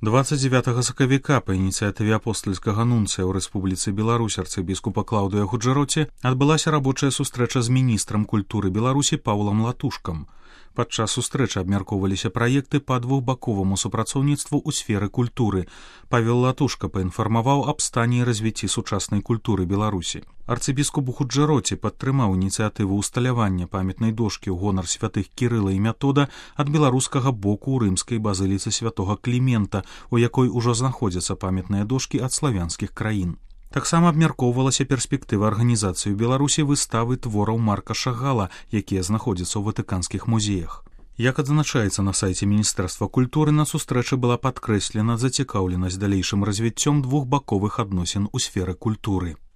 29 сакавіка па ініцыятыве апостальскага нунцыя ў Рэспубліцы Беларусь арцыбіскупа Клаўдыя Гуджэроці адбылася рабочая сустрэча з міністрам культуры Беларусі Паўлам Латушкам. Падчас сустрэчы абмяркоўваліся праекты па двухбаковаму супрацоўніцтву ў сферы культуры. Павел Латушка паінфармаваў аб стане і развіцці сучаснай культуры Беларусі. Арцыбіскуп Гуджэроці падтрымаў ініцыятыву ўсталявання памятнай дошкі ў гонар святых Кірыла і Мятода ад беларускага боку ў рымскай базыліцы святога Клімента, у якой ужо знаходзяцца памятныя дошкі ад славянскіх краін. Таксама абмяркоўвалася перспектыва арганізацыі ў Беларусі выставы твораў Марка Шагала, якія знаходзяцца ў ватыканскіх музеях. Як адзначаецца на сайце Міністэрства культуры, на сустрэчы была падкрэслена зацікаўленасць далейшым развіццём двухбаковых адносін у сферы культуры.